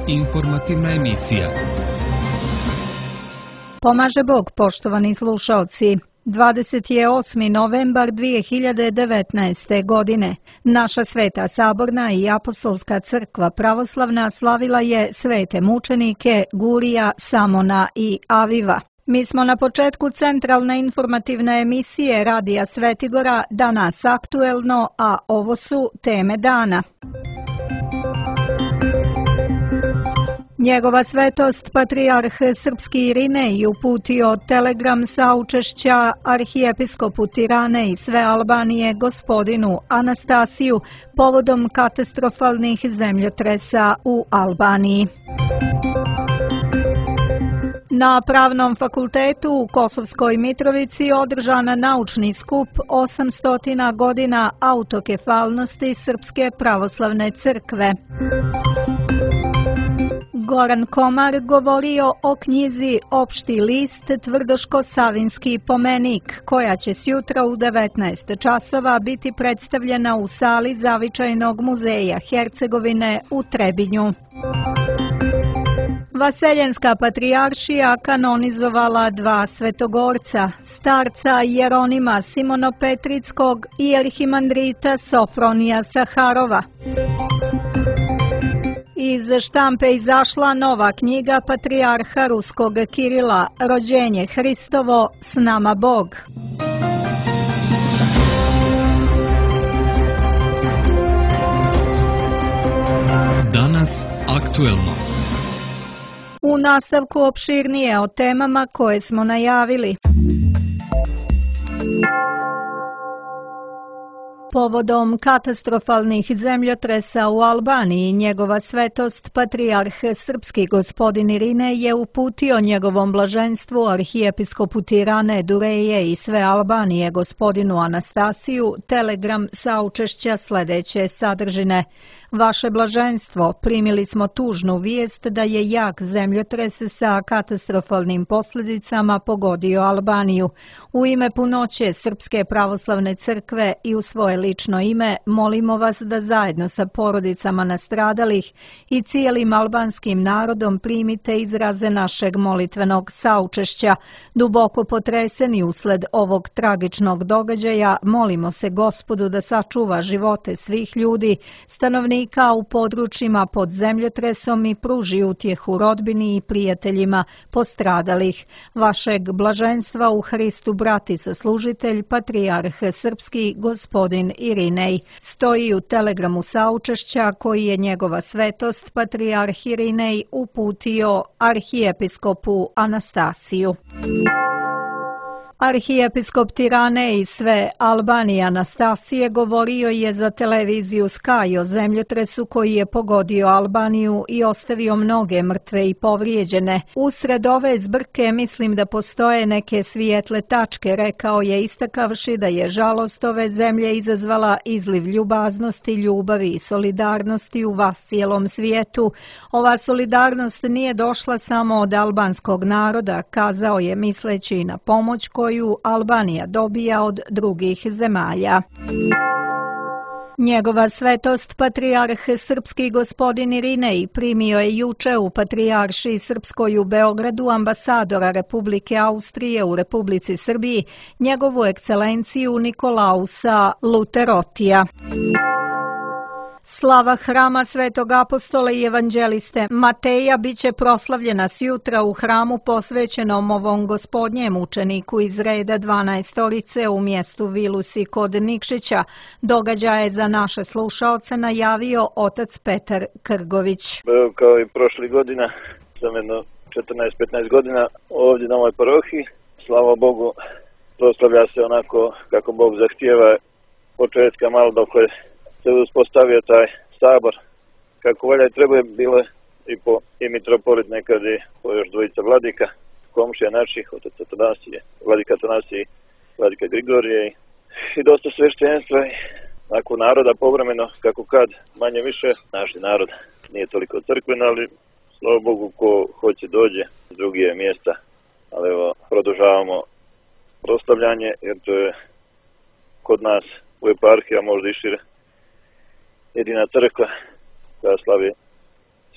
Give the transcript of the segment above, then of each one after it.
Informativna emisija. Pomaže Bog, poštovani slušalci. 28. novembar 2019. godine. Naša Sveta Saborna i Apostolska crkva pravoslavna slavila je svete mučenike Gurija, Samona i Aviva. Mi smo na početku centralne informativne emisije Radija Svetigora, danas aktuelno, a ovo su teme dana. Njegova svetost, patrijarh srpski Irinej, uputio telegram saučešća arhijepiskopu Tirane i sve Albanije gospodinu Anastasiju povodom katastrofalnih zemljotresa u Albaniji. Na Pravnom fakultetu u Kosovskoj Mitrovici održan naučni skup 800 godina autokefalnosti Srpske pravoslavne crkve. Goran Komar govorio o knjizi Opšti list Tvrdoško-Savinski pomenik, koja će sjutra u 19 časova biti predstavljena u sali Zavičajnog muzeja Hercegovine u Trebinju. Vaseljenska patrijaršija kanonizovala dva svetogorca, starca Jeronima Simonopetrickog i arhimandrita Sofronija Saharova. Iz štampe izašla nova knjiga patrijarha Ruskog Kirila, Rođenje Hristovo, s nama Bog. Danas aktuelno. U nastavku opširnije o temama koje smo najavili. Povodom katastrofalnih zemljotresa u Albaniji, njegova svetost, patrijarh srpski gospodin Irinej je uputio njegovom blaženstvu arhijepiskopu Tirane, Dureje i sve Albanije gospodinu Anastasiju telegram saučešća sljedeće sadržine. Vaše blaženstvo, primili smo tužnu vijest da je jak zemljotres sa katastrofalnim posljedicama pogodio Albaniju. U ime punoće Srpske pravoslavne crkve i u svoje lično ime molimo vas da zajedno sa porodicama nastradalih i cijelim albanskim narodom primite izraze našeg molitvenog saučešća. Duboko potreseni usled ovog tragičnog događaja, molimo se Gospodu da sačuva živote svih ljudi, stanovnika u područjima pod zemljotresom i pruži utjehu rodbini i prijateljima postradalih. Vašeg blaženstva u Hristu brat i saslužitelj, patrijarh srpski gospodin Irinej. Stoji u telegramu saučešća koji je njegova svetost, patrijarh Irinej, uputio arhijepiskopu Anastasiju. Arhijepiskop Tirane i sve Albanije Anastasije govorio je za televiziju Sky o zemljotresu koji je pogodio Albaniju i ostavio mnoge mrtve i povrijeđene. Usred ove zbrke mislim da postoje neke svijetle tačke, rekao je, istakavši da je žalost ove zemlje izazvala izliv ljubaznosti, ljubavi i solidarnosti u vas cijelom svijetu. Ova solidarnost nije došla samo od albanskog naroda, kazao je misleći na pomoć koju Albanija dobija od drugih zemalja. Njegova svetost, patrijarh srpski gospodin Irinej, primio je juče u patrijaršiji srpskoj u Beogradu ambasadora Republike Austrije u Republici Srbiji, njegovu ekscelenciju Nikolausa Luterotija. Slava hrama Svetog apostola i evanđeliste Mateja biće proslavljena sjutra u hramu posvećenom ovom gospodnjem učeniku iz reda 12 u mjestu Vilusi kod Nikšića. Događaje za naše slušaoce najavio otac Petar Krgović. Kao i prošli godina, sam jedno 14-15 godina ovdje na ovoj parohiji. Slava Bogu, proslavlja se onako kako Bog zahtijeva, početka malo dok se uspostavio taj sabor kako valja i treba je bilo i mitropolit nekad i po još dvojica vladika, komšija naših, otac Atanasije, vladika Atanasije i vladika Grigorije i dosta sveštenstva i nakon naroda povremeno, kako kad, manje više, naš narod nije toliko crkven, ali slava Bogu ko hoće dođe s drugije mjesta, ali evo, produžavamo proslavljanje jer to je kod nas u eparhiji, a možda i šire, jedina crkva koja slavi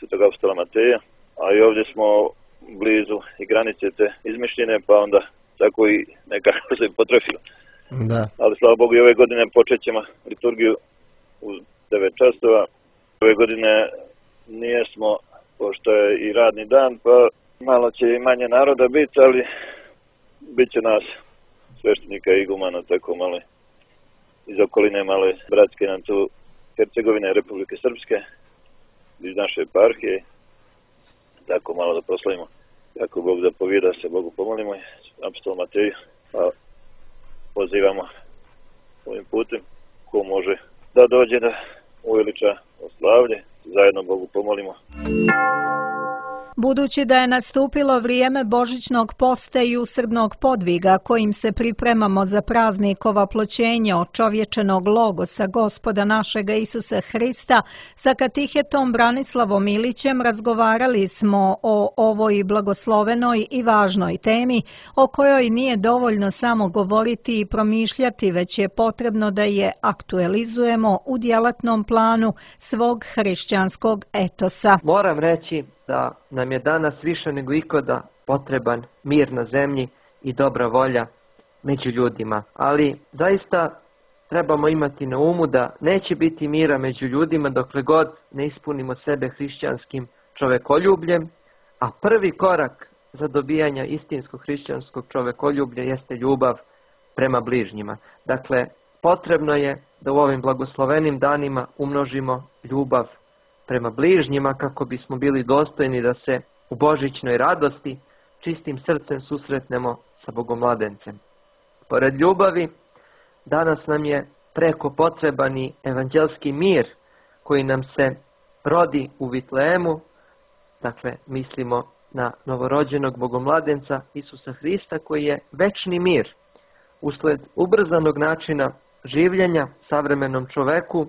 Svetog apostola Mateja, a i ovdje smo blizu i granice te izmišljene, pa onda tako i nekako se potrefilo. Da. Ali slava Bogu i ove godine počet ćemo liturgiju u 9 časova. Ove godine nijesmo, pošto je i radni dan, pa malo će i manje naroda biti, ali bit će nas sveštenika i igumana, tako malo iz okoline, malo bratske nam tu Hercegovine, Republike Srpske, iz naše eparhije, tako malo da proslavimo. Kako Bog zapovijeda, se Bogu pomolimo, apostol Mateju, pa pozivamo ovim putem ko može da dođe da uveliča oslavlje, zajedno Bogu pomolimo. Budući da je nastupilo vrijeme božićnog posta i usrdnog podviga kojim se pripremamo za praznik ovaploćenja očovječenog logosa Gospoda našega Isusa Hrista, sa katehetom Branislavom Ilićem razgovarali smo o ovoj blagoslovenoj i važnoj temi o kojoj nije dovoljno samo govoriti i promišljati, već je potrebno da je aktualizujemo u djelatnom planu svog hrišćanskog etosa. Moram reći da nam je danas više nego ikada potreban mir na zemlji i dobra volja među ljudima. Ali zaista trebamo imati na umu da neće biti mira među ljudima dokle god ne ispunimo sebe hrišćanskim čovekoljubljem, a prvi korak za dobijanje istinskog hrišćanskog čovekoljublja jeste ljubav prema bližnjima. Dakle, potrebno je da u ovim blagoslovenim danima umnožimo ljubav prema bližnjima kako bismo bili dostojni da se u božićnoj radosti čistim srcem susretnemo sa Bogomladencem. Pored ljubavi, danas nam je preko potreban i evanđelski mir koji nam se rodi u Vitlehemu, dakle mislimo na novorođenog Bogomladenca Isusa Hrista koji je večni mir. Usled ubrzanog načina življenja savremenom čoveku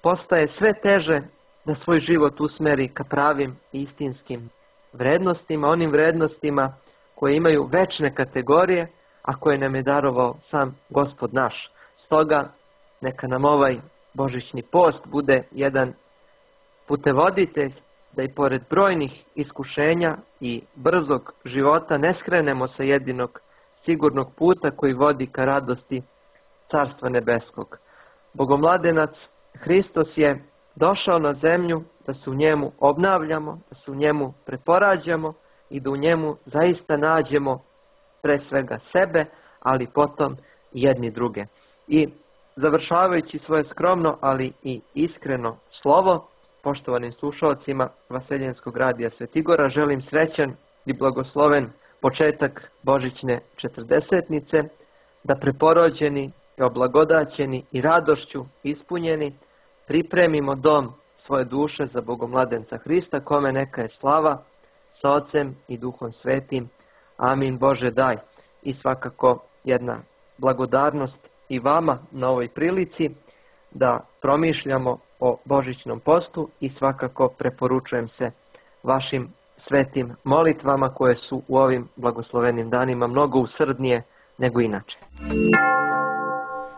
postaje sve teže da svoj život usmeri ka pravim i istinskim vrednostima, onim vrednostima koje imaju večne kategorije, a koje nam je darovao sam Gospod naš. Stoga neka nam ovaj božićni post bude jedan putevoditelj da i pored brojnih iskušenja i brzog života ne skrenemo sa jedinog sigurnog puta koji vodi ka radosti Carstva nebeskog. Bogomladenac Hristos je došao na zemlju da se u njemu obnavljamo, da se u njemu preporađamo i da u njemu zaista nađemo pre svega sebe, ali potom jedni druge. I završavajući svoje skromno, ali i iskreno slovo, poštovanim slušalcima Vaseljenskog radija Svetigora, želim srećan i blagosloven početak božićne četrdesetnice, da preporođeni, oblagodaćeni i radošću ispunjeni pripremimo dom svoje duše za Bogomladenca Hrista, kome neka je slava sa Ocem i Duhom Svetim. Amin. Bože daj. I svakako jedna blagodarnost i vama na ovoj prilici da promišljamo o božićnom postu i svakako preporučujem se vašim svetim molitvama koje su u ovim blagoslovenim danima mnogo usrdnije nego inače.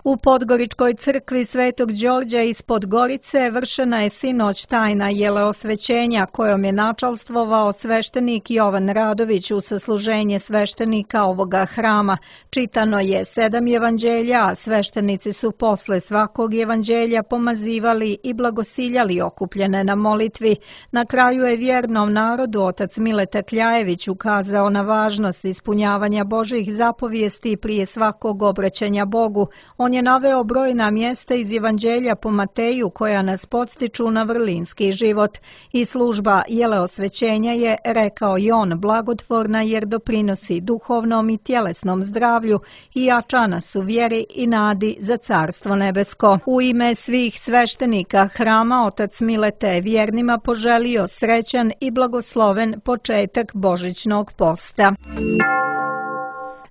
U Podgoričkoj crkvi Svetog Đorđa ispod Gorice vršena je sinoć tajna jeleosvećenja kojom je načalstvovao sveštenik Jovan Radović u sasluženje sveštenika ovoga hrama. Čitano je 7 evanđelja, a sveštenici su posle svakog evanđelja pomazivali i blagosiljali okupljene na molitvi. Na kraju je vjernom narodu otac Mileta Kljajević ukazao na važnost ispunjavanja Božjih zapovijesti prije svakog obraćanja Bogu. On je naveo brojna mjesta iz Evanđelja po Mateju koja nas podstiču na vrlinski život. I služba jeleosvećenja je, rekao i on, blagotvorna jer doprinosi duhovnom i tjelesnom zdravlju i jača nas u vjeri i nadi za Carstvo nebesko. U ime svih sveštenika hrama otac Milete je vjernima poželio srećan i blagosloven početak božićnog posta.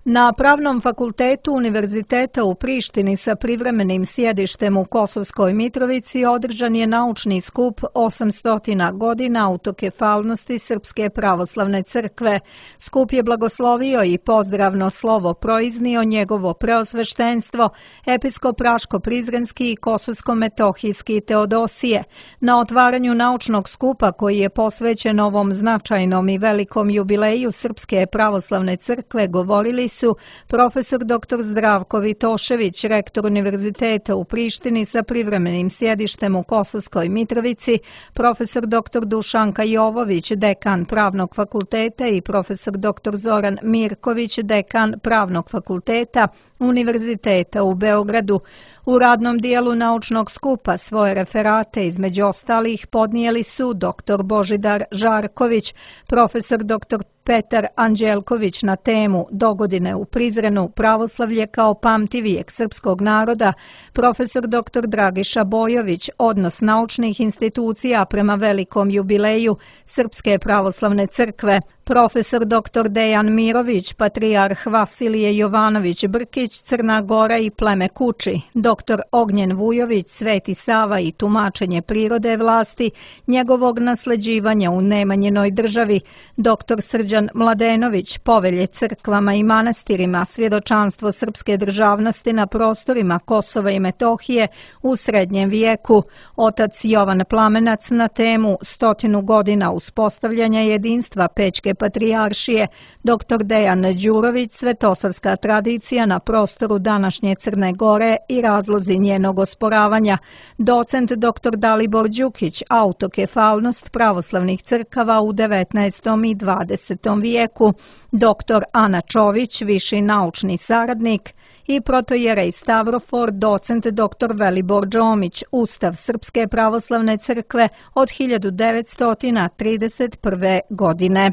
Na Pravnom fakultetu Univerziteta u Prištini sa privremenim sjedištem u Kosovskoj Mitrovici održan je naučni skup 800 godina autokefalnosti Srpske pravoslavne crkve. Skup je blagoslovio i pozdravno slovo proiznio njegovo preosveštenstvo, episkop Raško-Prizrenski i Kosovsko-Metohijski Teodosije. Na otvaranju naučnog skupa koji je posvećen ovom značajnom i velikom jubileju Srpske pravoslavne crkve govorili su profesor dr. Zdravko Vitošević, rektor Univerziteta u Prištini sa privremenim sjedištem u Kosovskoj Mitrovici, profesor dr. Dušanka Jovović, dekan Pravnog fakulteta i profesor dr. Zoran Mirković, dekan Pravnog fakulteta Univerziteta u Beogradu. U radnom dijelu naučnog skupa svoje referate između ostalih podnijeli su dr. Božidar Žarković, profesor dr. Petar Anđelković na temu Dogodine u Prizrenu, pravoslavlje kao pamtivijek srpskog naroda, profesor dr. Dragiša Bojović, odnos naučnih institucija prema velikom jubileju Srpske pravoslavne crkve, profesor dr. Dejan Mirović, patrijarh Vasilije Jovanović Brkić, Crna Gora i pleme Kuči, dr. Ognjen Vujović, Sveti Sava i tumačenje prirode vlasti, njegovog nasleđivanja u Nemanjinoj državi, dr. Srđan Mladenović, povelje crkvama i manastirima, svjedočanstvo srpske državnosti na prostorima Kosova i Metohije u srednjem vijeku, otac Jovan Plamenac na temu 100 godina uspostavljanja jedinstva Pećke patrijaršije, dr. Dejan Đurović, svetosavska tradicija na prostoru današnje Crne Gore i razlozi njenog osporavanja, docent dr. Dalibor Đukić, autokefalnost pravoslavnih crkava u 19. i 20. vijeku, dr. Ana Čović, viši naučni saradnik, i protojerej Stavrofor, docent dr. Velibor Džomić, Ustav Srpske pravoslavne crkve od 1931. godine.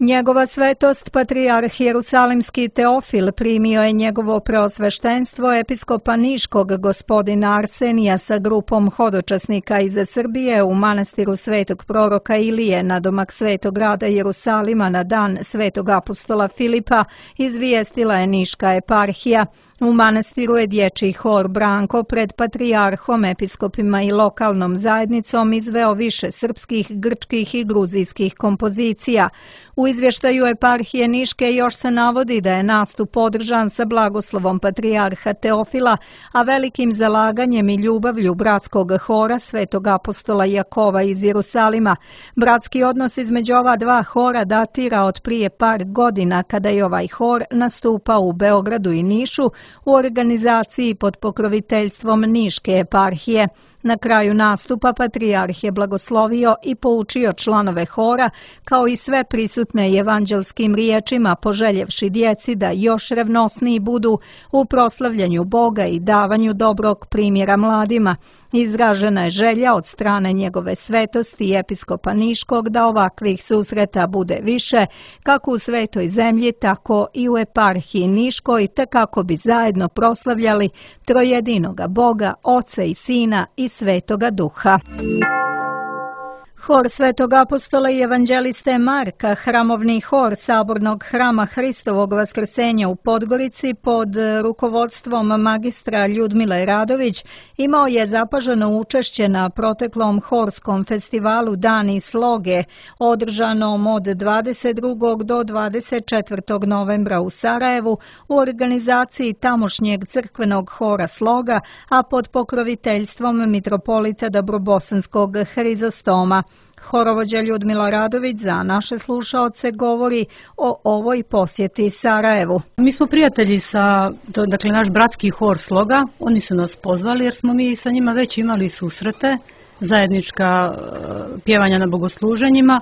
Njegova svetost, patrijarh Jerusalimski Teofil, primio je njegovo preosveštenstvo episkopa Niškog gospodina Arsenija sa grupom hodočasnika iz Srbije u manastiru Svetog proroka Ilije na domak Svetog grada Jerusalima na dan Svetog apostola Filipa, izvijestila je Niška eparhija. U manastiru je dječji hor Branko pred patrijarhom, episkopima i lokalnom zajednicom izveo više srpskih, grčkih i gruzijskih kompozicija. U izvještaju eparhije Niške još se navodi da je nastup održan sa blagoslovom patrijarha Teofila, a velikim zalaganjem i ljubavlju bratskog hora Svetog apostola Jakova iz Jerusalima. Bratski odnos između ova dva hora datira od prije par godina kada je ovaj hor nastupao u Beogradu i Nišu u organizaciji pod pokroviteljstvom Niške eparhije. Na kraju nastupa patrijarh je blagoslovio i poučio članove hora, kao i sve prisutne evanđelskim riječima, poželjevši djeci da još revnosniji budu u proslavljanju Boga i davanju dobrog primjera mladima. Izražena je želja od strane njegove svetosti i episkopa Niškog da ovakvih susreta bude više, kako u Svetoj zemlji, tako i u eparhiji Niškoj, te kako bi zajedno proslavljali trojedinoga Boga, Oca i Sina i Svetoga Duha. Hor Svetog apostola i evanđeliste Marka, hramovni hor Sabornog hrama Hristovog Vaskrsenja u Podgorici pod rukovodstvom magistra Ljudmile Radović imao je zapaženo učešće na proteklom horskom festivalu Dani sloge, održanom od 22. do 24. novembra u Sarajevu u organizaciji tamošnjeg crkvenog hora sloga, a pod pokroviteljstvom mitropolita Dobrobosanskog Hrizostoma. Horovođa Ljudmila Radović za naše slušaoce govori o ovoj posjeti Sarajevu. Mi smo prijatelji sa, dakle, naš bratski hor sloga, oni su nas pozvali jer smo mi sa njima već imali susrete, zajednička pjevanja na bogosluženjima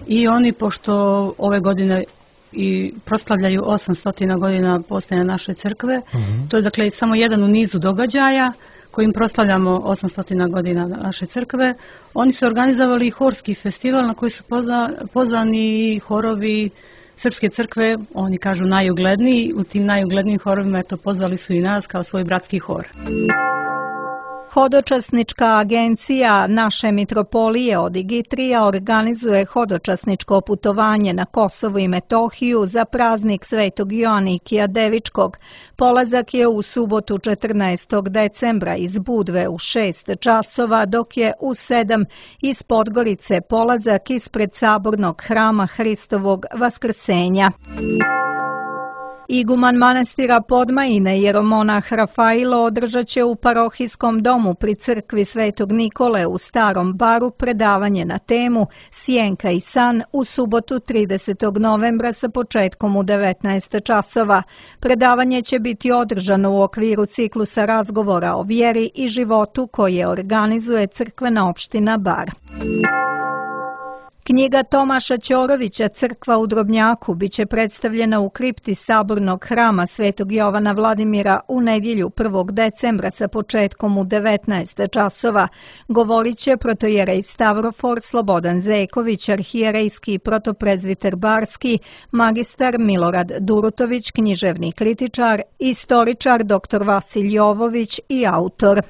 i oni, pošto ove godine i proslavljaju 800 godina postojanja naše crkve, to je dakle samo jedan u nizu događaja kojim proslavljamo 800 godina naše crkve. Oni su organizovali horski festival na koji su pozvani horovi Srpske crkve, oni kažu najugledniji. U tim najuglednijim horovima pozvali su i nas kao svoj bratski hor. Hodočasnička agencija naše mitropolije od Igitrija organizuje hodočasničko putovanje na Kosovo i Metohiju za praznik Svetog Joanikija Devičkog. Polazak je u subotu 14. decembra iz Budve u 6 časova, dok je u 7 iz Podgorice polazak ispred sabornog hrama Hristovog Vaskrsenja. Iguman manastira Podmajine, jeromonah Rafailo, održat će u parohijskom domu pri crkvi Svetog Nikole u Starom Baru predavanje na temu Sjenka i san u subotu 30. novembra sa početkom u 19 časova. Predavanje će biti održano u okviru ciklusa razgovora o vjeri i životu koje organizuje crkvena opština Bar. Knjiga Tomaša Ćorovića Crkva u Drobnjaku biće predstavljena u kripti Sabornog hrama Svetog Jovana Vladimira u nedjelju 1. decembra sa početkom u 19 časova. Govorit će protojerej Stavrofor Slobodan Zeković, arhijerejski protoprezviter Barski, magistar Milorad Durutović, književni kritičar, istoričar dr. Vasilj Jovović i autor.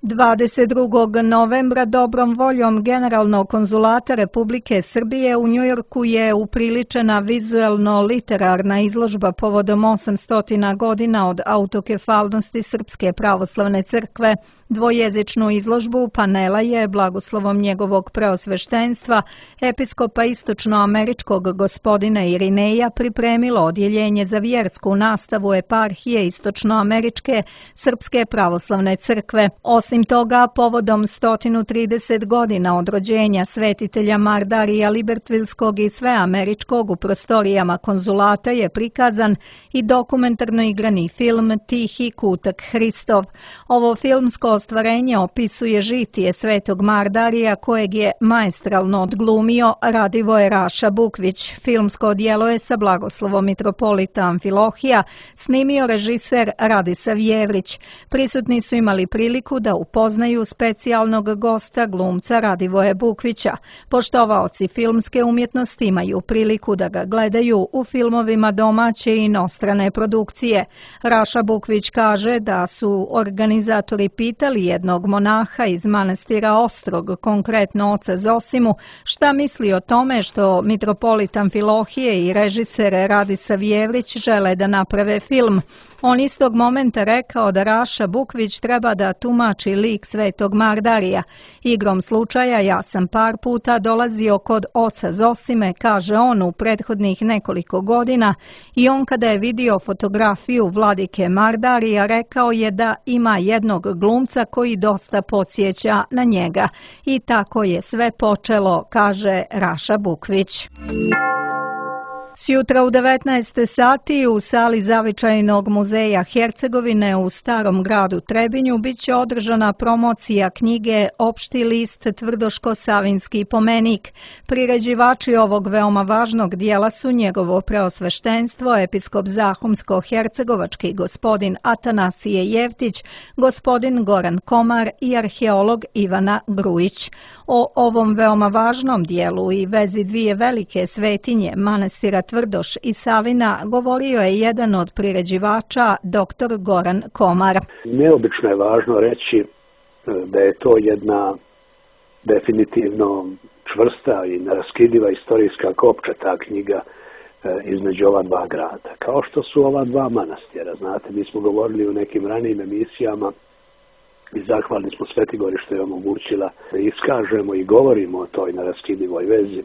22. novembra dobrom voljom Generalnog konzulata Republike Srbije u Njujorku je upriličena vizuelno-literarna izložba povodom 800 godina od autokefalnosti Srpske pravoslavne crkve. Dvojezičnu izložbu panela je blagoslovom njegovog preosveštenstva episkopa istočnoameričkog gospodina Irineja pripremilo odjeljenje za vjersku nastavu eparhije istočnoameričke Srpske pravoslavne crkve. Osim toga, povodom 130 godina od rođenja svetitelja Mardarija Libertvilskog i sveameričkog u prostorijama konzulata je prikazan i dokumentarno igrani film Tihi kutak Hristov. Ovo filmsko ostvarenje opisuje žitije svetog Mardarija kojeg je maestralno odglumio Radivoje Raša Bukvić. Filmsko djelo je sa blagoslovom mitropolita Amfilohija snimio režiser Radisav Jevrić. Prisutni su imali priliku da upoznaju specijalnog gosta glumca Radivoje Bukvića. Poštovaoci filmske umjetnosti imaju priliku da ga gledaju u filmovima domaće i inostrane produkcije. Raša Bukvić kaže da su organizatori pitali jednog monaha iz manastira Ostrog, konkretno oca Zosimu, šta misli o tome što mitropolit Amfilohije i režiser Radisav Jevrić žele da naprave film. On istog momenta rekao da Raša Bukvić treba da tumači lik svetog Mardarija. Igrom slučaja ja sam par puta dolazio kod oca Zosime, kaže on, u prethodnih nekoliko godina i on kada je vidio fotografiju vladike Mardarija rekao je da ima jednog glumca koji dosta podsjeća na njega. I tako je sve počelo, kaže Raša Bukvić. Sjutra u 19 sati u sali Zavičajnog muzeja Hercegovine u Starom gradu Trebinju biće održana promocija knjige Opšti list Tvrdoško-Savinski pomenik. Priređivači ovog veoma važnog dijela su njegovo preosveštenstvo, episkop Zahumsko-Hercegovački gospodin Atanasije Jevtić, gospodin Goran Komar i arheolog Ivana Grujić. O ovom veoma važnom dijelu i vezi dvije velike svetinje, manastira Tvrdoš i Savina, govorio je jedan od priređivača, dr. Goran Komar. Neobično je važno reći da je to jedna definitivno čvrsta i neraskidiva istorijska kopča, ta knjiga, između ova dva grada. Kao što su ova dva manastira, znate, mi smo govorili u nekim ranijim emisijama i zahvalni smo Sveti Gori što je omogućila da iskažemo i govorimo o toj neraskidivoj vezi,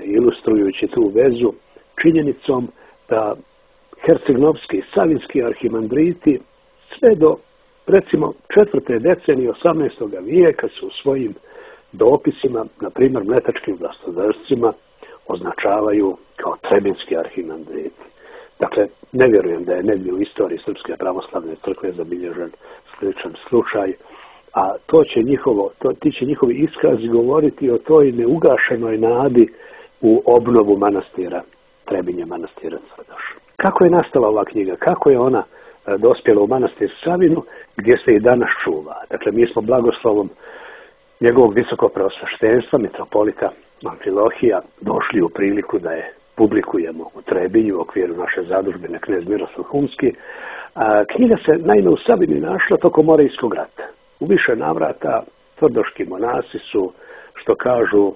ilustrujući tu vezu činjenicom da hercegnovski i savinski arhimandriti sve do, recimo, 4. decenije 18. vijeka su u svojim dopisima, na primjer mletačkim vlastodržcima, označavaju kao trebinski arhimandriti. Dakle, ne vjerujem da je negdje u istoriji Srpske pravoslavne crkve zabilježen sličan slučaj, a ti će njihovi iskazi govoriti o toj neugašenoj nadi u obnovu manastira Trebinje, manastira Tvrdoš. Kako je nastala ova knjiga? Kako je ona dospjela u manastir Savinu, gdje se i danas čuva? Dakle, mi smo blagoslovom njegovog visokog preosveštenstva, mitropolita Amfilohija, došli u priliku da je publikujemo u Trebinju u okviru naše zadužbine Knez Miroslav Humski. Knjiga se naime u Sabini našla tokom Morijskog rata. U više navrata tvrdoški monasi su, što kažu,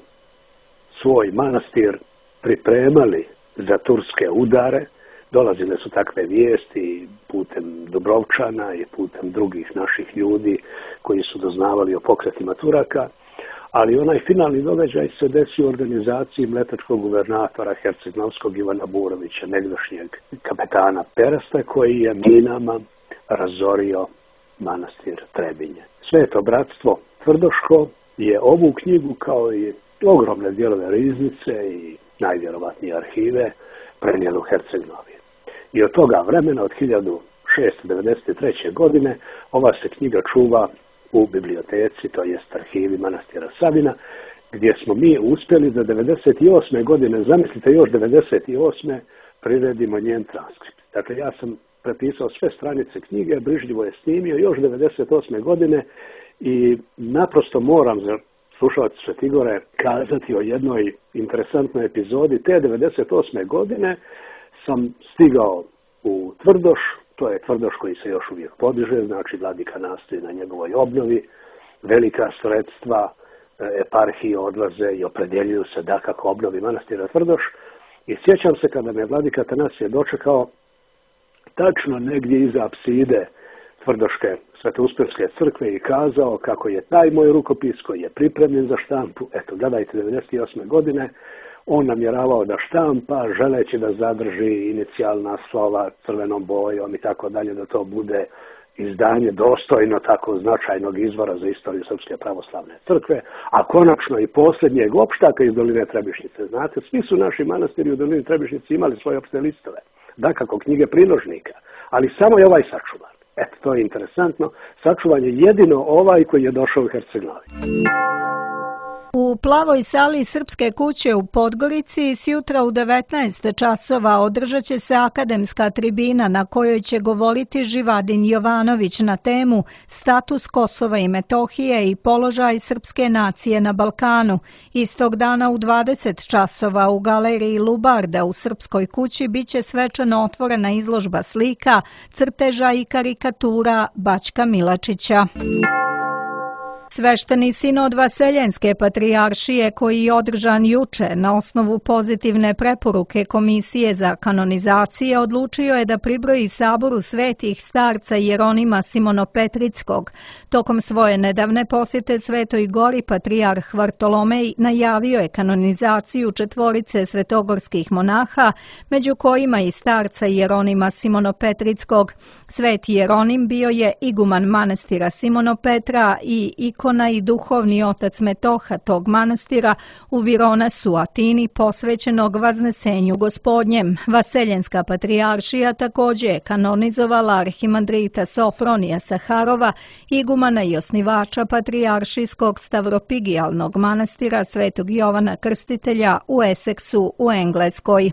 svoj manastir pripremali za turske udare. Dolazile su takve vijesti putem Dubrovčana i putem drugih naših ljudi koji su doznavali o pokretima Turaka, ali onaj finalni događaj se desio u organizaciji mletačkog guvernatora Herceg-Novskog Ivana Burovića, negdašnjeg kapetana Perasta, koji je minama razorio manastir Trebinje. Sveto bratstvo tvrdoško je ovu knjigu, kao i ogromne dijelove riznice i najvjerovatnije arhive, prenijelo u Herceg-Novi. I od toga vremena, od 1693. godine, ova se knjiga čuva u biblioteci, to jest arhivi manastira Sabina, gdje smo mi uspjeli da 98. godine, zamislite još 98. priredimo njen transkript. Dakle, ja sam prepisao sve stranice knjige, brižljivo je snimio još 98. godine i naprosto moram za slušalce Svetigore kazati o jednoj interesantnoj epizodi. Te 98. godine sam stigao u Tvrdoš, to je Tvrdoš koji se još uvijek podiže, znači vladika nastoji na njegovoj obnovi, velika sredstva eparhije odlaze i opredjeljuju se da kako obnovi manastira Tvrdoš. I sjećam se kada me vladika Atanasije dočekao tačno negdje iza apside Tvrdoške Svetouspirske crkve i kazao kako je taj moj rukopis koji je pripremljen za štampu, eto gledajte 98. godine, on namjeravao da štampa, želeći da zadrži inicijalna slova crvenom bojom i tako dalje, da to bude izdanje dostojno tako značajnog izvora za istoriju Srpske pravoslavne crkve, a konačno i posljednjeg opštaka iz Doline Trebišnjice. Znate, svi su naši manastiri u Dolini Trebišnjice imali svoje opšte listove, dakako knjige priložnika, ali samo je ovaj sačuvan. Eto, to je interesantno. Sačuvan je jedino ovaj koji je došao u Herceg-Novi. U plavoj sali Srpske kuće u Podgorici sjutra u 19 časova održat će se akademska tribina na kojoj će govoriti Živadin Jovanović na temu Status Kosova i Metohije i položaj srpske nacije na Balkanu. Istog dana u 20 časova u galeriji Lubarda u Srpskoj kući biće svečano otvorena izložba slika, crteža i karikatura Bačka Milačića. Svešteni sinod Vaseljenske patrijaršije koji je održan juče na osnovu pozitivne preporuke Komisije za kanonizacije odlučio je da pribroji saboru svetih starca Jeronima Simonopetrickog. Tokom svoje nedavne posjete Svetoj Gori patrijarh Vartolomej najavio je kanonizaciju 4 svetogorskih monaha, među kojima i starca Jeronima Simonopetrickog. Sveti Jeronim bio je iguman manastira Simonopetra i ikona i duhovni otac Metoha tog manastira u Vironasu, Atini, posvećenog Vaznesenju Gospodnjem. Vaseljenska patrijaršija također je kanonizovala arhimandrita Sofronija Saharova, igumana i osnivača patrijaršijskog stavropigijalnog manastira Svetog Jovana Krstitelja u Eseksu u Engleskoj.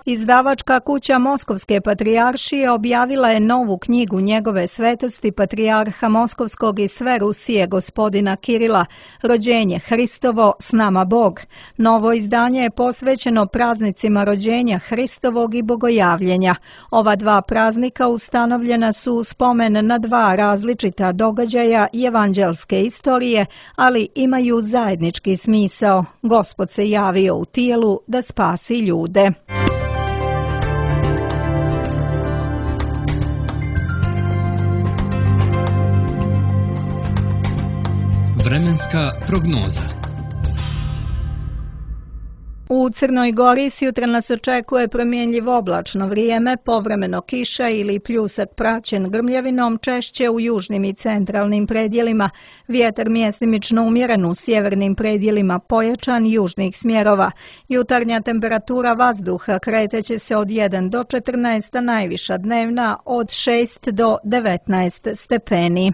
Izdavačka kuća Moskovske patrijaršije objavila je novu knjigu njegove svetosti patrijarha Moskovskog i sve Rusije gospodina Kirila, Rođenje Hristovo, s nama Bog. Novo izdanje je posvećeno praznicima rođenja Hristovog i Bogojavljenja. Ova dva praznika ustanovljena su u spomen na dva različita događaja evanđelske istorije, ali imaju zajednički smisao. Gospod se javio u tijelu da spasi ljude. Vremenska prognoza. U Crnoj Gori sutra nas očekuje promjenjivo oblačno vrijeme, povremeno kiša ili pljusak praćen grmljavinom, češće u južnim i centralnim predjelima. Vjetar mjestimično umjeren, u sjevernim predjelima pojačan južnih smjerova. Jutarnja temperatura vazduha kreteće se od 1 do 14, a najviša dnevna od 6 do 19 stepeni.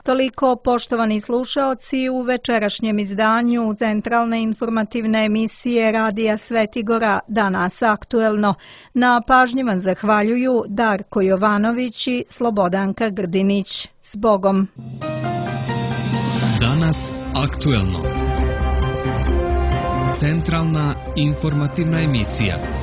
Toliko, poštovani slušaoci, u večerašnjem izdanju centralne informativne emisije Radija Svetigora Danas aktuelno. Na pažnji vam zahvaljuju Darko Jovanović i Slobodanka Grdinić. S Bogom! Danas aktuelno. Centralna lokalna informativna emisija.